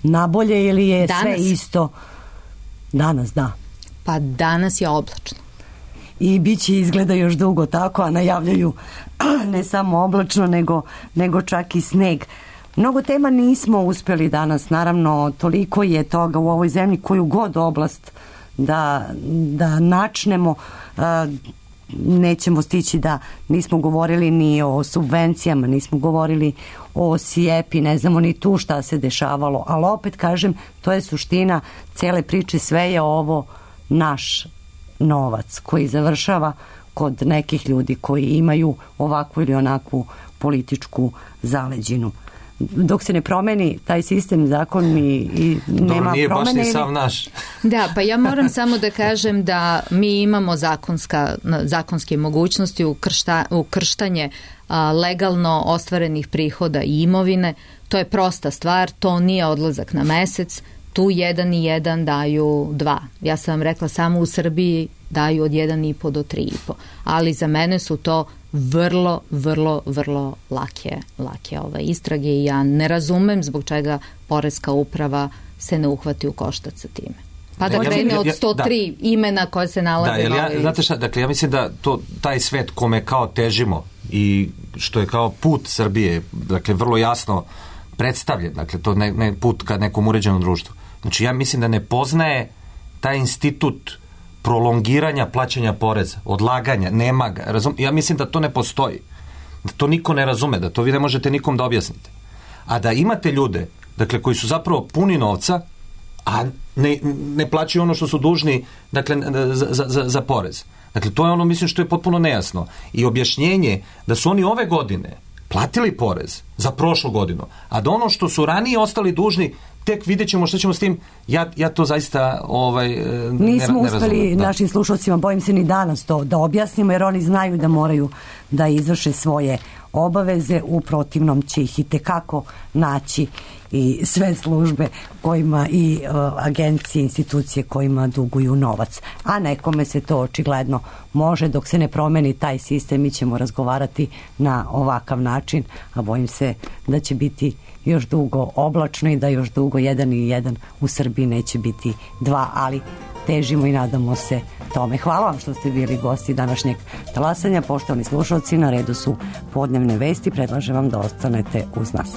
Nabolje ili je danas sve isto? Danas, da. Pa danas je oblačno. I bit će izgleda još dugo tako, a najavljaju ne samo oblačno, nego čak i sneg. Mnogo tema nismo uspjeli danas, naravno, toliko je toga u ovoj zemlji, koju god oblast da načnemo, nećemo stići da nismo govorili ni o subvencijama, nismo govorili o SIEP-i, ne znamo ni tu šta se dešavalo, ali opet kažem, to je suština cele priče, sve je ovo naš novac koji završava kod nekih ljudi koji imaju ovakvu ili onakvu političku zaleđinu. Dok se ne promeni taj sistem, zakon i nema promene. Nije baš ni sam naš. Da, pa ja moram samo da kažem da mi imamo zakonske mogućnosti ukrštanje legalno ostvarenih prihoda i imovine. To je prosta stvar, to nije odlazak na mesec. Tu 1 i 1 daju 2. Ja sam vam rekla, samo u Srbiji daju od 1,5 do 3,5. Ali za mene su to vrlo, vrlo, vrlo lake istrage i ja ne razumem zbog čega Poreska uprava se ne uhvati u koštac sa time. Pa da krene od 103 imena koje se nalaze. Znate šta, dakle, ja mislim da taj svet kome kao težimo i što je kao put Srbije, dakle, vrlo jasno predstavljen, dakle, to ne put ka nekom uređenom društvu. Znači, ja mislim da ne poznaje taj institut prolongiranja plaćanja poreza, odlaganja, nema ga. Ja mislim da to ne postoji. Da to niko ne razume, da to vi ne možete nikom da objasnite. A da imate ljude, dakle, koji su zapravo puni novca, a ne plaćaju ono što su dužni, dakle, za porez. Dakle, to je ono, mislim, što je potpuno nejasno. I objašnjenje da su oni ove godine platili porez za prošlu godinu, a da ono što su ranije ostali dužni, tek vidjet ćemo što ćemo s tim, ja to zaista nismo uspeli našim slušalcima, bojim se ni danas to da objasnimo, jer oni znaju da moraju da izvrše svoje obaveze, u protivnom će ih i tekako naći i sve službe kojima i agencije, institucije kojima duguju novac. A nekome se to očigledno može, dok se ne promeni taj sistem, mi ćemo razgovarati na ovakav način, a bojim se da će biti još dugo oblačno i da još dugo 1 i 1 u Srbiji neće biti 2, ali težimo i nadamo se tome. Hvala vam što ste bili gosti današnjeg talasanja. Poštovani slušalci, na redu su podnevne vesti. Predlažem vam da ostanete uz nas.